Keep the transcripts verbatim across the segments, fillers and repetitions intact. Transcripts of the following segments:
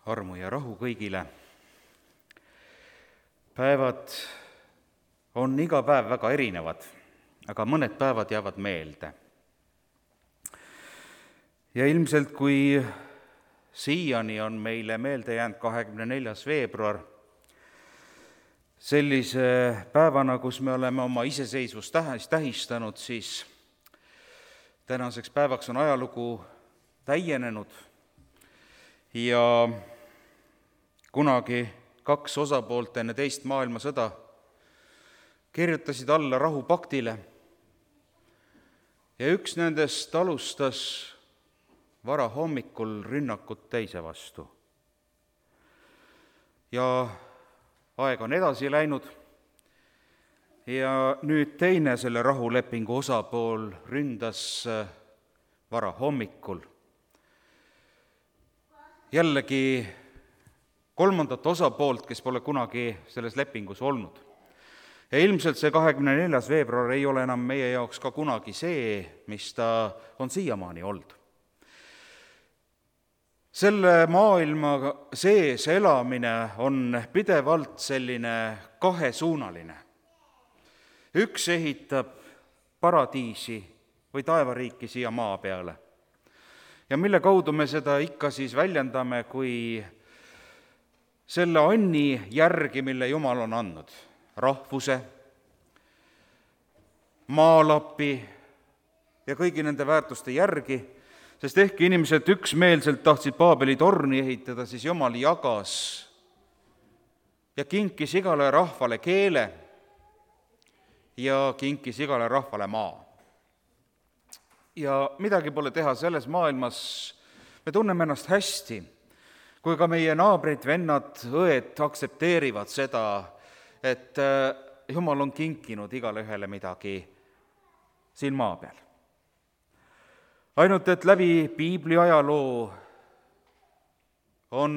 armu ja rahu kõigile. Päevad on iga päev väga erinevad, aga mõned päevad jäävad meelde. Ja ilmselt, kui siiani on meile meelde jäänud kahekümne neljas veebruar, sellise päevana, kus me oleme oma iseseisvust tähistanud, siis tänaseks päevaks on ajalugu täienenud ja kunagi kaks osapoolt enne teist maailmasõda kirjutasid alla rahupaktile ja üks nendest alustas varahommikul rünnakut teise vastu. Ja aeg on edasi läinud ja nüüd teine selle rahulepingu osapool ründas varahommikul jällegi kolmandat osapoolt, kes pole kunagi selles lepingus olnud. Ja ilmselt see kahekümne neljas veebruar ei ole enam meie jaoks ka kunagi see, mis ta on siiamaani olnud. Selle maailma sees elamine on pidevalt selline kahesuunaline. Üks ehitab paradiisi või taevariiki siia maa peale. Ja mille kaudu me seda ikka siis väljendame, kui selle anni järgi, mille Jumal on andnud, rahvuse, maalapi ja kõigi nende väärtuste järgi, sest ehkki inimesed üksmeelselt tahtsid Paabeli torni ehitada, siis Jumal jagas ja kinkis igale rahvale keele ja kinkis igale rahvale maa. Ja midagi pole teha, selles maailmas me tunneme ennast hästi, kui ka meie naabrid, vennad, õed aktsepteerivad seda, et Jumal on kinkinud igale ühele midagi siin maa peal. Ainult, et läbi piibli ajaloo on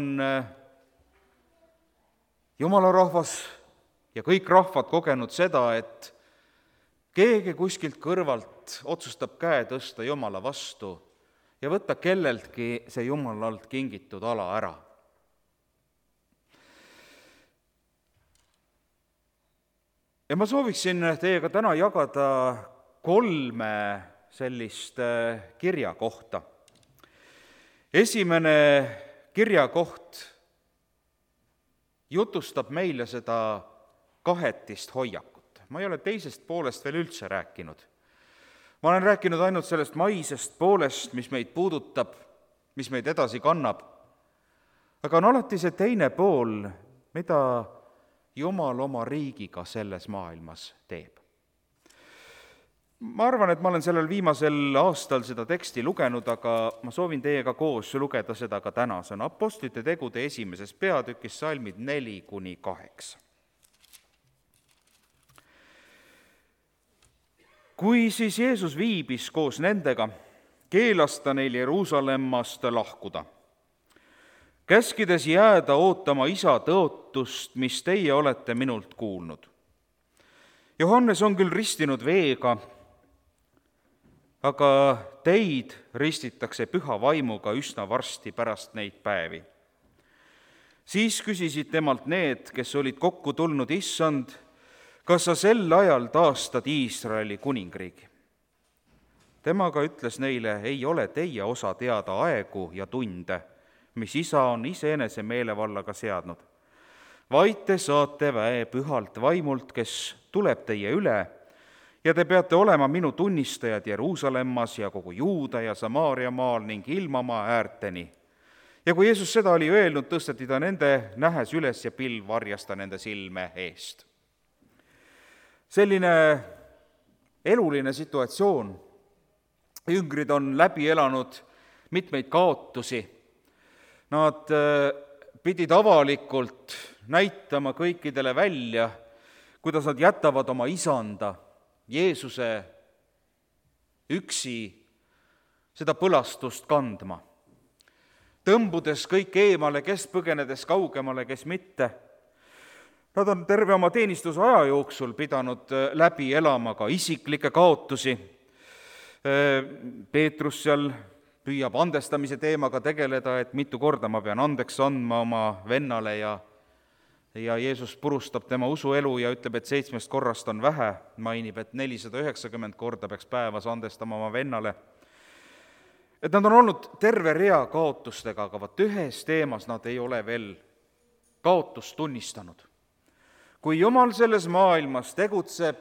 Jumala rahvas ja kõik rahvad kogenud seda, et keegi kuskilt kõrvalt otsustab käe tõsta Jumala vastu ja võtta kelleltki see Jumalalt kingitud ala ära. Ja ma sooviksin teiega täna jagada kolme sellist kirjakohta. Esimene kirjakoht jutustab meile seda kahetist hoiakut. Ma ei ole teisest poolest veel üldse rääkinud. Ma olen rääkinud ainult sellest maisest poolest, mis meid puudutab, mis meid edasi kannab. Aga on alati see teine pool, mida Jumal oma riigiga selles maailmas teeb. Ma arvan, et ma olen sellel viimasel aastal seda teksti lugenud, aga ma soovin teiega koos lugeda seda ka täna. See on Apostlite tegude esimeses peatükis salmid neli kuni kaheksa. Kui siis Jeesus viibis koos nendega, keelas ta neil Jeruusalemmast lahkuda, käskides jääda ootama isa tõotust, mis teie olete minult kuulnud. Johannes on küll ristinud veega, aga teid ristitakse püha vaimuga üsna varsti pärast neid päevi. Siis küsisid temalt need, kes olid kokku tulnud, issand, kas sa sel ajal taastad Iisraeli kuningriigi? Temaga ütles neile, ei ole teie osa teada aegu ja tunde, mis isa on iseenese meelevallaga seadnud, vaid te saate väe pühalt vaimult, kes tuleb teie üle, ja te peate olema minu tunnistajad Jeruusalemmas ja kogu Juuda ja Samaaria maal ning ilmamaa äärteni. Ja kui Jeesus seda oli öelnud, tõsteti ta nende nähes üles ja pilv varjas ta nende silme eest. Selline eluline situatsioon. Jüngrid on läbi elanud mitmeid kaotusi. Nad pidid avalikult näitama kõikidele välja, kuidas nad jätavad oma isanda, Jeesuse üksi seda põlastust kandma. Tõmbudes kõik eemale, kes põgenedes kaugemale, kes mitte. Nad on terve oma teenistuse aja jooksul pidanud läbi elama ka isiklikke kaotusi. Peetrus seal püüab andestamise teemaga tegeleda, et mitu korda ma pean andeks andma oma vennale ja ja Jeesus purustab tema usuelu ja ütleb, et seitsmest korrast on vähe, mainib, et nelisada üheksakümmend korda peaks päevas andestama oma vennale. Et nad on olnud terve rea kaotustega, aga vaat ühes teemas nad ei ole veel kaotust tunnistanud. Kui Jumal selles maailmas tegutseb,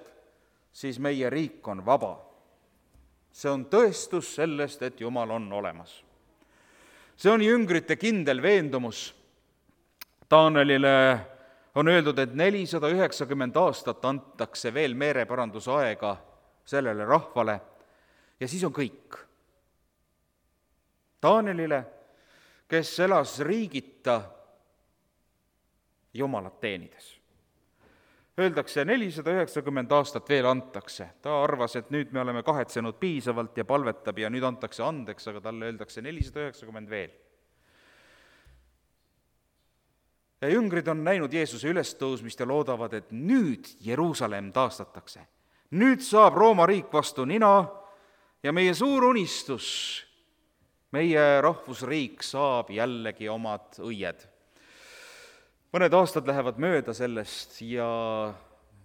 siis meie riik on vaba. See on tõestus sellest, et Jumal on olemas. See on jüngrite kindel veendumus. Taanelile on öeldud, et nelisada üheksakümmend aastat antakse veel meeleparandusaega sellele rahvale ja siis on kõik. Taanelile, kes elas riigita Jumalat teenides. Öeldakse, nelisada üheksakümmend aastat veel antakse. Ta arvas, et nüüd me oleme kahetsenud piisavalt ja palvetab ja nüüd antakse andeks, aga talle öeldakse nelisada üheksakümmend veel. Ja jüngrid on näinud Jeesuse ülestõusmist ja loodavad, et nüüd Jeruusalemm taastatakse. Nüüd saab Rooma riik vastu nina ja meie suur unistus, meie rahvusriik saab jällegi omad õied. Mõned aastad lähevad mööda sellest ja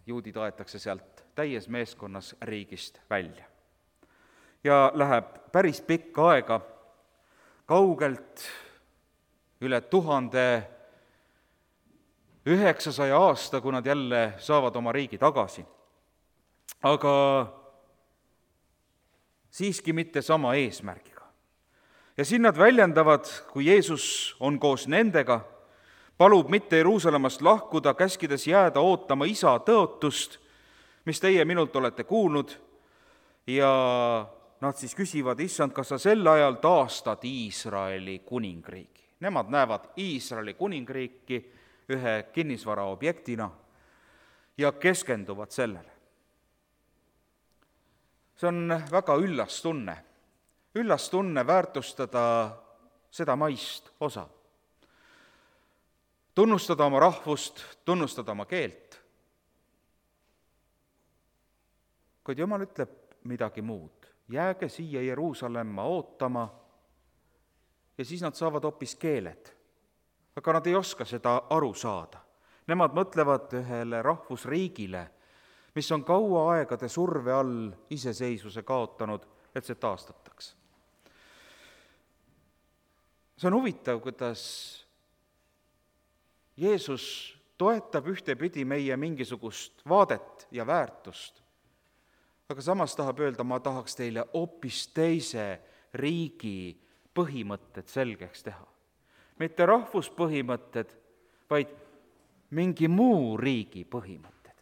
juudid aetakse sealt täies meeskonnas riigist välja. Ja läheb päris pikka aega, kaugelt üle tuhande üheksasaja aasta, kui nad jälle saavad oma riigi tagasi. Aga siiski mitte sama eesmärgiga. Ja siin nad väljendavad, kui Jeesus on koos nendega, palub mitte Jeruusalemmast lahkuda, käskides jääda ootama isa tõotust, mis teie minult olete kuulnud, ja nad siis küsivad, issand, kas sa sel ajal taastad Iisraeli kuningriigi? Nemad näevad Iisraeli kuningriiki ühe kinnisvara objektina ja keskenduvad sellele. See on väga üllas tunne. Üllas tunne väärtustada seda maist osa. Tunnustada oma rahvust, tunnustada oma keelt. Kuid Jumal ütleb midagi muud. Jääge siia Jeruusalemma ootama ja siis nad saavad hoopis keeled. Aga nad ei oska seda aru saada. Nemad mõtlevad ühele rahvusriigile, mis on kaua aegade surve all iseseisvuse kaotanud, et see taastataks. See on huvitav, kuidas Jeesus toetab ühtepidi meie mingisugust vaadet ja väärtust, aga samas tahab öelda, ma tahaks teile hoopis teise riigi põhimõtted selgeks teha. Mitte rahvuspõhimõtted, vaid mingi muu riigi põhimõtted.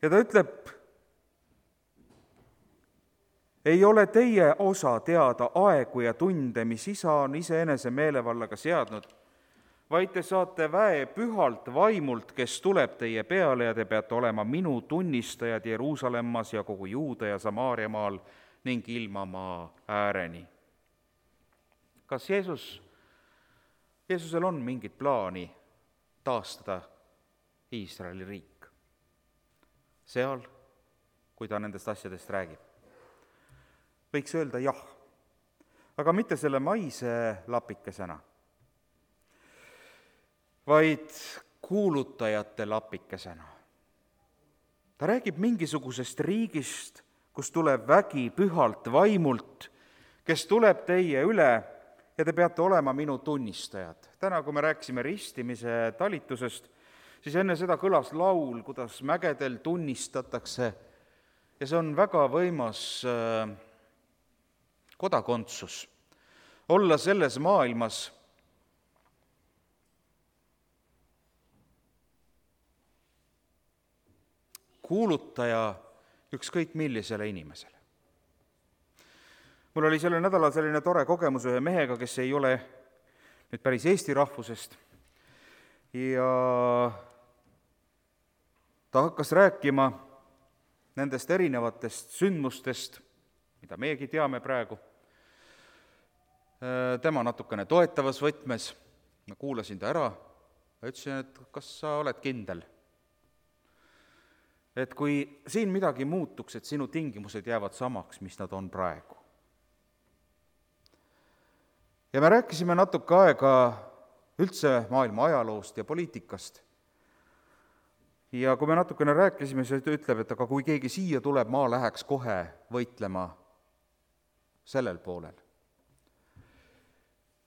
Ja ta ütleb, ei ole teie osa teada aegu ja tunde, mis isa on iseenese meelevallaga seadnud, vaid te saate väe pühalt vaimult, kes tuleb teie peale ja te peate olema minu tunnistajad Jeruusalemmas ja kogu Juuda ja Samaariamaal ning ilmamaa ääreni. Kas Jeesus, Jeesusel on mingit plaani taastada Iisraeli riik? Seal, kui ta nendest asjadest räägib. Võiks öelda jah, aga mitte selle maise lapikesena, vaid kuulutajate lapikesena. Ta räägib mingisugusest riigist, kus tuleb vägi pühalt vaimult, kes tuleb teie üle ja te peate olema minu tunnistajad. Täna, kui me rääkisime ristimise talitusest, siis enne seda kõlas laul, kuidas mägedel tunnistatakse ja see on väga võimas kodakondsus. Olla selles maailmas kuulutaja ükskõik millisele inimesele. Mul oli sellel nädalal selline tore kogemus ühe mehega, kes ei ole nüüd päris eesti rahvusest ja ta hakkas rääkima nendest erinevatest sündmustest, mida meiegi teame praegu. Tema natukene toetavas võtmes, ma kuulasin ta ära ja ütlesin, et kas sa oled kindel? Et kui siin midagi muutuks, et sinu tingimused jäävad samaks, mis nad on praegu. ja me rääkisime natuke aega üldse maailma ajaloost ja poliitikast. Ja kui me natukene rääkisime, siis ta ütleb, et aga kui keegi siia tuleb, ma läheks kohe võitlema sellel poolel.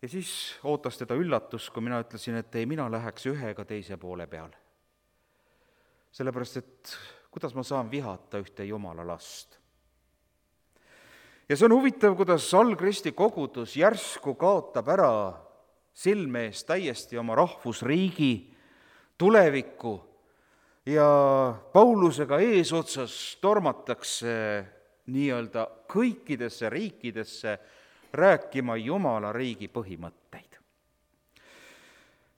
Ja siis ootas teda üllatus, kui mina ütlesin, et ei, mina läheks ühe ega teise poole peale. Sellepärast, et kuidas ma saan vihata ühte Jumala last. Ja see on huvitav, kuidas algristi kogudus järsku kaotab ära silme ees täiesti oma rahvusriigi tulevikku ja Paulusega eesotsas tormatakse nii-öelda kõikidesse riikidesse rääkima Jumala riigi põhimõtteid.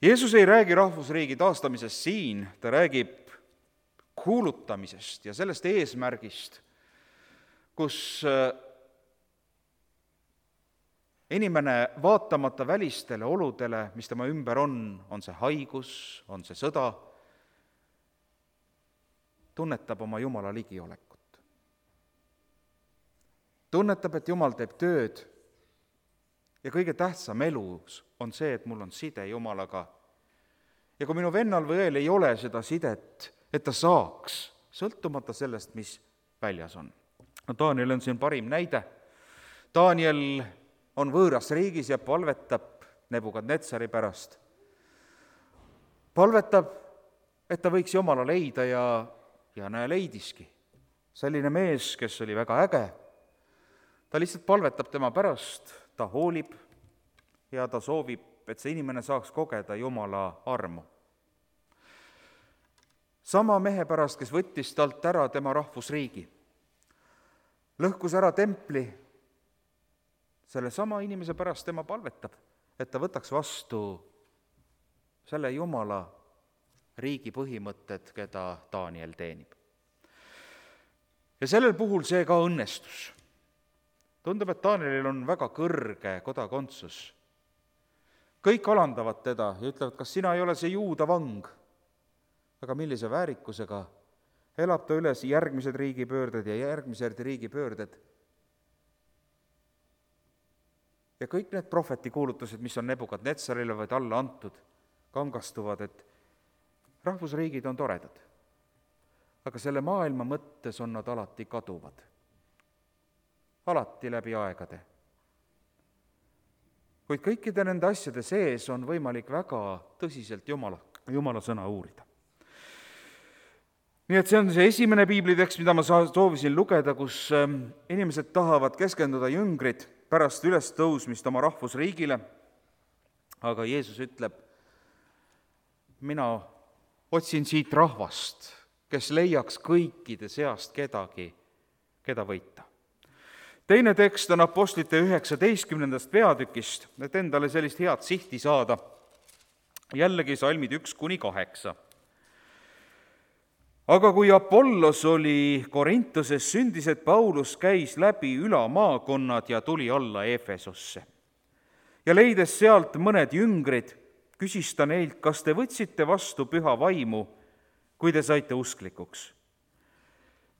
Jeesus ei räägi rahvusriigi taastamisest siin, ta räägib kuulutamisest ja sellest eesmärgist, kus inimene vaatamata välistele oludele, mis tema ümber on, on see haigus, on see sõda, tunnetab oma Jumala ligiolekut. Tunnetab, et Jumal teeb tööd ja kõige tähtsam elus on see, et mul on side Jumalaga. Ja kui minu vennal või õel ei ole seda sidet, et ta saaks, sõltumata sellest, mis väljas on. No Daniel on siin parim näide. Daniel on võõras riigis ja palvetab Nebukadnetsari pärast. Palvetab, et ta võiks Jumala leida ja, ja näe leidiski. Selline mees, kes oli väga äge, ta lihtsalt palvetab tema pärast, ta hoolib ja ta soovib, et see inimene saaks kogeda Jumala armu. Sama mehe pärast, kes võttis talt ära tema rahvusriigi, lõhkus ära templi, selle sama inimese pärast tema palvetab, et ta võtaks vastu selle Jumala riigi põhimõtted, keda Daniel teenib. Ja sellel puhul see ka õnnestus. Tundub, et Danielil on väga kõrge kodakondsus. Kõik alandavad teda ja ütlevad, kas sina ei ole see juuda vang? Aga millise väärikusega elab ta üles järgmised riigipöörded ja järgmised riigipöörded. Ja kõik need prohvetikuulutused, mis on Nebukadnetsarile või talle antud, kangastuvad, et rahvusriigid on toredad. Aga selle maailma mõttes on nad alati kaduvad. Alati läbi aegade. Kuid kõikide nende asjade sees on võimalik väga tõsiselt Jumala, Jumala sõna uurida. Nii et see on see esimene piiblitekst, mida ma soovisin lugeda, kus inimesed tahavad keskenduda jüngrid pärast ülestõusmist oma rahvusriigile, aga Jeesus ütleb, mina otsin siit rahvast, kes leiaks kõikide seast kedagi, keda võita. Teine tekst on apostlite üheksateistkümnendast peatükist, et endale sellist head sihti saada. Jällegi salmid üks kuni kaheksa. Aga kui Apollos oli Korintoses, sündis, et Paulus käis läbi ülamaakonnad ja tuli alla Efesosse. Ja leides sealt mõned jüngrid, küsis ta neilt, kas te võtsite vastu püha vaimu, kui te saite usklikuks?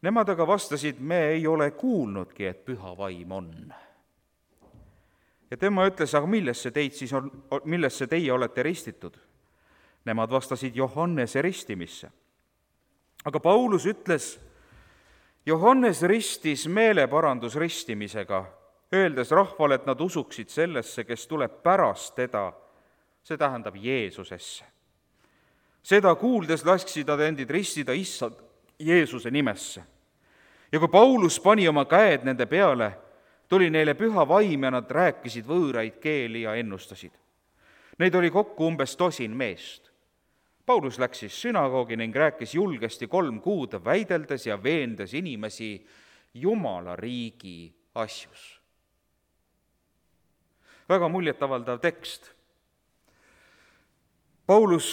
Nemad aga vastasid, me ei ole kuulnudki, et püha vaim on. Ja tema ütles, aga millesse teid siis on, millesse teie olete ristitud? Nemad vastasid Johannese ristimisse. Aga Paulus ütles, Johannes ristis meeleparandusristimisega, öeldes rahvale, et nad usuksid sellesse, kes tuleb pärast teda, see tähendab Jeesusesse. Seda kuuldes lasksid nad endid ristida issand Jeesuse nimesse. Ja kui Paulus pani oma käed nende peale, tuli neile püha vaim ja nad rääkisid võõraid keeli ja ennustasid. Neid oli kokku umbes tosin meest. Paulus läks siis sünagoogi ning rääkis julgesti kolm kuud, väideldes ja veendes inimesi Jumala riigi asjus. Väga muljetavaldav tekst. Paulus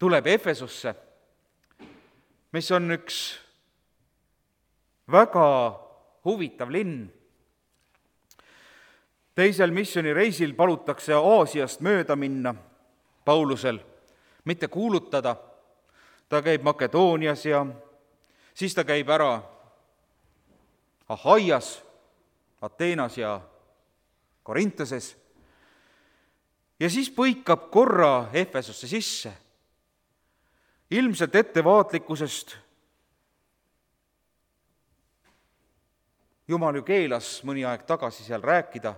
tuleb Efesosse, mis on üks väga huvitav linn. Teisel missioonireisil palutakse Aasiast mööda minna Paulusel, mitte kuulutada. Ta käib Makedoonias ja siis ta käib ära Ahaias Ateenas ja Korintases, ja siis põikab korra Efesosse sisse. Ilmselt ettevaatlikkusest Jumal ju keelas mõni aeg tagasi seal rääkida,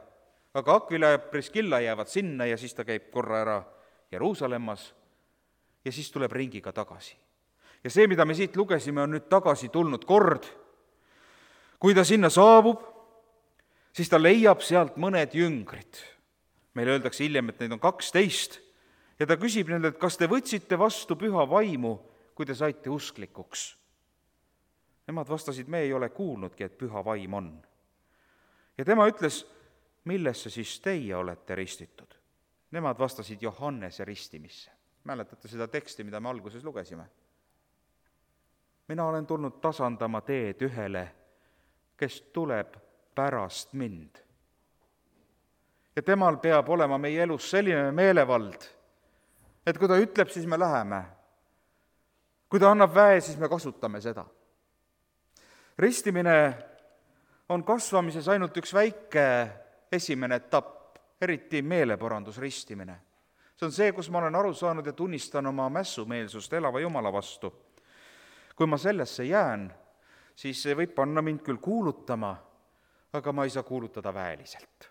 aga Aquila ja Priskilla jäävad sinna ja siis ta käib korra ära Jeruusalemmas ja siis tuleb ringiga tagasi. Ja see, mida me siit lugesime, on nüüd tagasi tulnud kord. Kui ta sinna saabub, siis ta leiab sealt mõned jüngrid. Meile öeldakse hiljem, et neid on kaksteist, ja ta küsib nendelt, kas te võtsite vastu püha vaimu, kui te saite usklikuks? Nemad vastasid, me ei ole kuulnudki, et püha vaim on. Ja tema ütles, millesse siis teie olete ristitud? Nemad vastasid Johannese ristimisse. Mäletate seda teksti, mida me alguses lugesime? Mina olen tulnud tasandama teed ühele, kes tuleb pärast mind. Ja temal peab olema meie elus selline meelevald, et kui ta ütleb, siis me läheme. Kui ta annab väe, siis me kasutame seda. Ristimine on kasvamises ainult üks väike esimene etapp, eriti meeleparandusristimine. See on see, kus ma olen aru saanud ja tunnistan oma mässumeelsust elava Jumala vastu. Kui ma sellesse jään, siis see võib panna mind küll kuulutama, aga ma ei saa kuulutada väeliselt.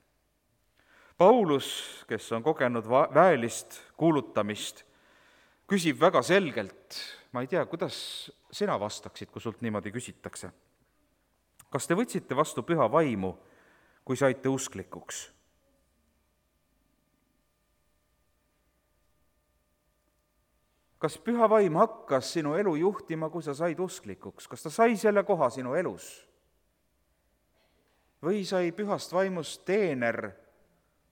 Paulus, kes on kogenud väelist kuulutamist, küsib väga selgelt, ma ei tea, kuidas sina vastaksid, kui sult niimoodi küsitakse. Kas te võtsite vastu püha vaimu, kui saite usklikuks? Kas püha vaim hakkas sinu elu juhtima, kui sa said usklikuks? Kas ta sai selle koha sinu elus? Või sai pühast vaimust teener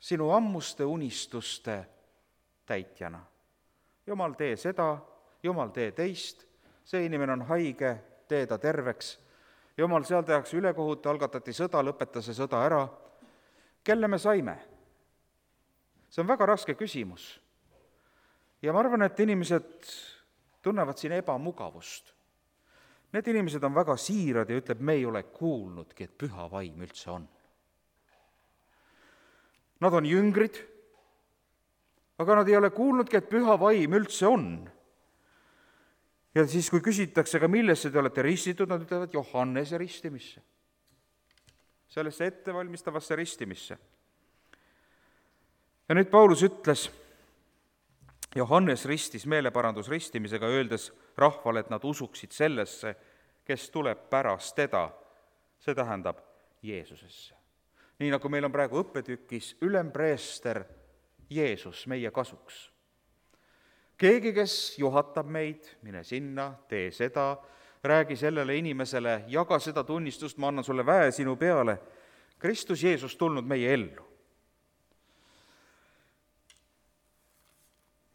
sinu ammuste unistuste täitjana? Jumal, tee seda, Jumal, tee teist, see inimene on haige, tee ta terveks. Jumal, seal tehakse ülekohut, algatati sõda, lõpeta see sõda ära. Kelle me saime? See on väga raske küsimus. Ja ma arvan, et inimesed tunnevad siin ebamugavust. Need inimesed on väga siirad ja ütleb, me ei ole kuulnudki, et püha vaim üldse on. Nad on jüngrid, aga nad ei ole kuulnudki, et püha vaim üldse on. Ja siis, kui küsitakse, ka millesse te olete ristitud, nad ütlevad Johannese ristimisse. Sellesse ettevalmistavasse ristimisse. Ja nüüd Paulus ütles, Johannes ristis meeleparandusristimisega, öeldes rahvale, et nad usuksid sellesse, kes tuleb pärast teda, see tähendab Jeesusesse. Nii nagu meil on praegu õppetükis ülempreester Jeesus meie kasuks. Keegi, kes juhatab meid, mine sinna, tee seda, räägi sellele inimesele, jaga seda tunnistust, ma annan sulle väe sinu peale. Kristus Jeesus tulnud meie ellu.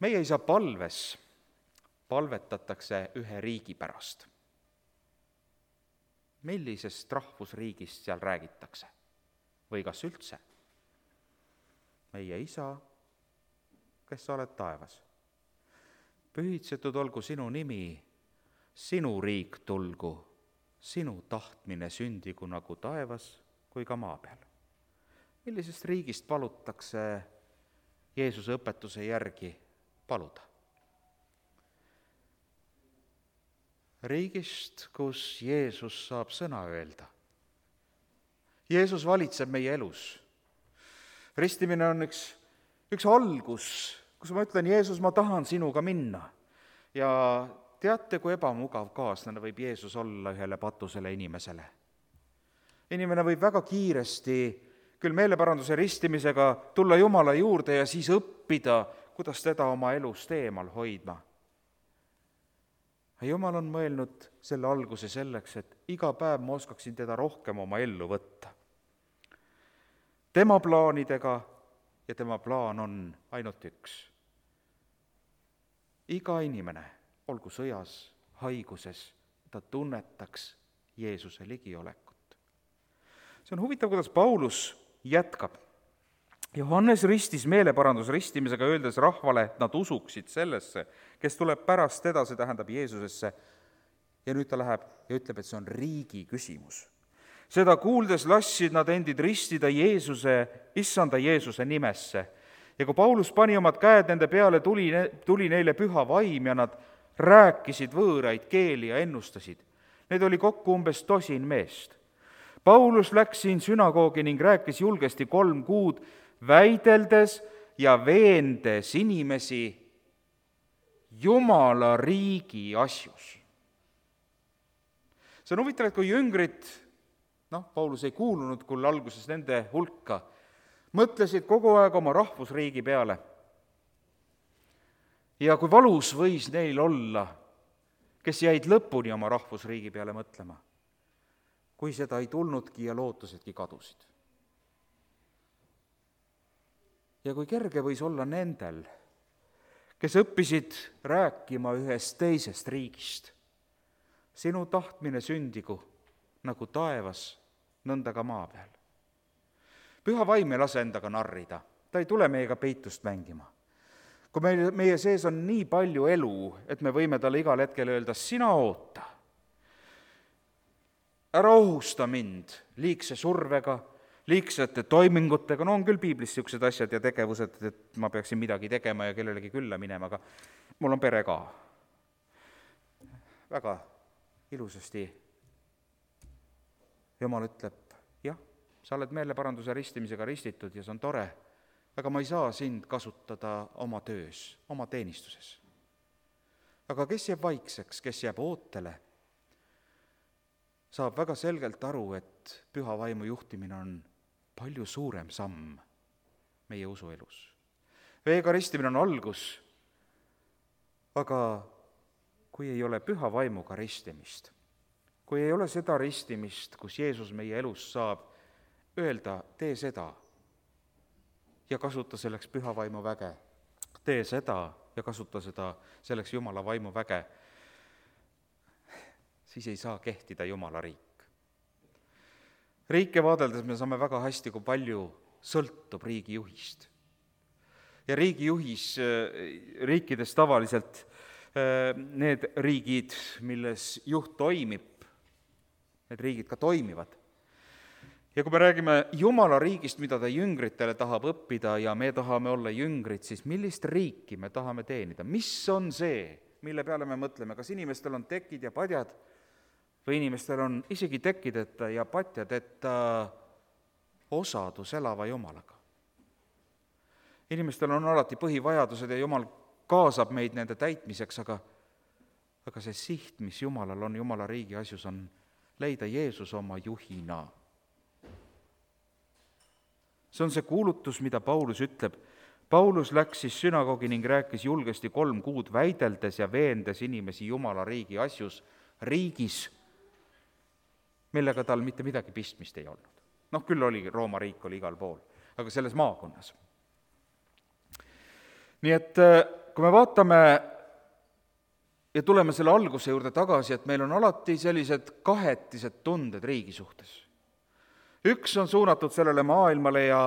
Meie ei saa palves, palvetatakse ühe riigi pärast. Millisest rahvusriigist seal räägitakse? Või kas üldse? Meie isa, kes sa oled taevas. Pühitsetud olgu sinu nimi, sinu riik tulgu, sinu tahtmine sündigu nagu taevas kui ka maa peal. Millisest riigist palutakse Jeesuse õpetuse järgi paluda? Riigist, kus Jeesus saab sõna öelda. Jeesus valitseb meie elus. Ristimine on üks, üks algus, kus ma ütlen, Jeesus, ma tahan sinuga minna. Ja teate, kui ebamugav kaaslane võib Jeesus olla ühele patusele inimesele. Inimene võib väga kiiresti, küll meeleparanduse ristimisega, tulla Jumala juurde ja siis õppida, kuidas teda oma elust eemal hoidma. Jumal on mõelnud selle alguse selleks, et iga päev ma oskaksin teda rohkem oma ellu võtta. Tema plaanidega ja tema plaan on ainult üks. Iga inimene, olgu sõjas, haiguses, ta tunnetaks Jeesuse ligiolekut. See on huvitav, kuidas Paulus jätkab. Johannes ristis meeleparandusristimisega, öeldes rahvale, et nad usuksid sellesse, kes tuleb pärast teda, see tähendab Jeesusesse. Ja nüüd ta läheb ja ütleb, et see on riigi küsimus. seda kuuldes lasksid nad endid ristida Jeesuse, issanda Jeesuse nimesse. Ja kui Paulus pani omad käed nende peale, tuli, tuli neile püha vaim ja nad rääkisid võõraid keeli ja ennustasid. Neid oli kokku umbes tosin meest. Paulus läks siin sünagoogi ning rääkis julgesti kolm kuud, väideldes ja veendes inimesi Jumala riigi asjus. See on huvitav, et kui jüngrid, noh, Paulus ei kuulunud küll alguses nende hulka, mõtlesid kogu aeg oma rahvusriigi peale. Ja kui valus võis neil olla, kes jäid lõpuni oma rahvusriigi peale mõtlema, kui seda ei tulnudki ja lootusedki kadusid. Ja kui kerge võis olla nendel, kes õppisid rääkima ühest teisest riigist. Sinu tahtmine sündigu nagu taevas, nõnda ka maa peal. Püha vaim ei lase endaga narrida, ta ei tule meiega peitust mängima. Kui meie, meie sees on nii palju elu, et me võime talle igal hetkel öelda, sina oota, ära ohusta mind liigse survega, liigsete toimingutega, no on küll piiblis niisugused asjad ja tegevused, et ma peaksin midagi tegema ja kellelegi külla minema, aga mul on pere ka. Väga ilusasti Jumal ütleb, jah, sa oled meeleparanduse ristimisega ristitud ja see on tore, aga ma ei saa sind kasutada oma töös, oma teenistuses. Aga kes jääb vaikseks, kes jääb ootele, saab väga selgelt aru, et püha vaimu juhtimine on palju suurem samm meie usuelus. Veega ristimine on algus, aga kui ei ole püha vaimuga ristimist, kui ei ole seda ristimist, kus Jeesus meie elus saab öelda, tee seda ja kasuta selleks püha vaimu väge, tee seda ja kasuta seda selleks Jumala vaimu väge, siis ei saa kehtida Jumala riik. Riike vaadeldes me saame väga hästi, kui palju sõltub riigijuhist. Ja riigijuhis riikides tavaliselt need riigid, milles juht toimib, need riigid ka toimivad. Ja kui me räägime Jumala riigist, mida ta jüngritele tahab õppida ja me tahame olla jüngrid, siis millist riiki me tahame teenida? Mis on see, mille peale me mõtleme? Kas inimestel on tekid ja padjad või inimestel on isegi tekideta ja patjad, et osadus elava Jumalaga? Inimestel on alati põhivajadused ja Jumal kaasab meid nende täitmiseks, aga, aga see siht, mis Jumalal on Jumala riigi asjus, on leida Jeesus oma juhina. See on see kuulutus, mida Paulus ütleb. Paulus läks siis sünagoogi ning rääkis julgesti kolm kuud, väideldes ja veendes inimesi Jumala riigi asjus, riigis, millega tal mitte midagi pistmist ei olnud. Noh, küll oli, Rooma riik oli igal pool, aga selles maakonnas. Nii et kui me vaatame ja tuleme selle alguse juurde tagasi, et meil on alati sellised kahetised tunded riigi suhtes. Üks on suunatud sellele maailmale ja,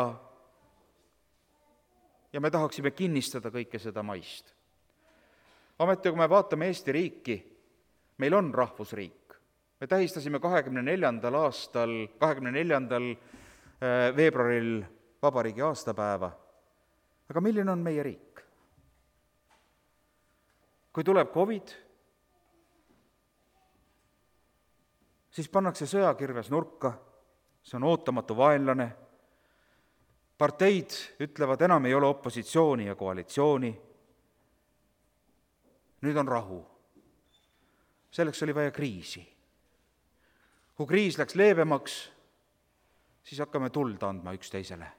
ja me tahaksime kinnistada kõike seda maist. Ameti, kui me vaatame Eesti riiki, meil on rahvusriik. Me tähistasime kahekümne neljandal aastal, kahekümne neljandal veebruaril vabariigi aastapäeva. Aga milline on meie riik? Kui tuleb COVID, siis pannakse sõjakirves nurka, see on ootamatu vaenlane. Parteid ütlevad, enam ei ole opositsiooni ja koalitsiooni. Nüüd on rahu. Selleks oli vaja kriisi. Kui kriis läks leebemaks, siis hakkame tuld andma üksteisele.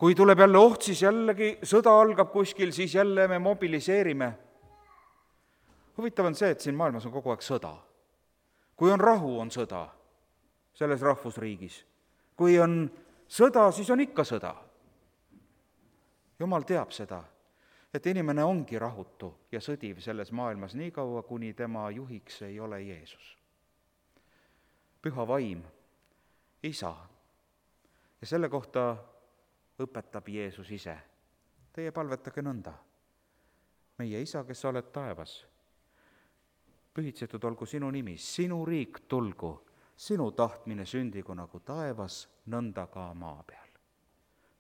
Kui tuleb jälle oht, siis jällegi sõda algab kuskil, siis jälle me mobiliseerime. Huvitav on see, et siin maailmas on kogu aeg sõda. Kui on rahu, on sõda selles rahvusriigis. Kui on sõda, siis on ikka sõda. Jumal teab seda, et inimene ongi rahutu ja sõdiv selles maailmas nii kaua, kuni tema juhiks ei ole Jeesus. Püha vaim, isa. Ja selle kohta õpetab Jeesus ise. Teie palvetage nõnda. Meie isa, kes sa oled taevas, pühitsetud olgu sinu nimi, sinu riik tulgu, sinu tahtmine sündigu nagu taevas, nõnda ka maa peal.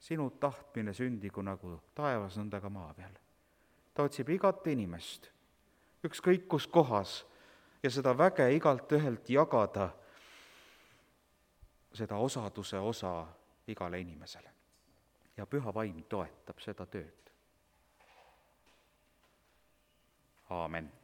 Sinu tahtmine sündigu nagu taevas, nõnda ka maa peal. Ta otsib igat inimest, ükskõik kus kohas, ja seda väge igalt ühelt jagada, seda osaduse osa igale inimesele. Ja püha vaim toetab seda tööd. Aamen.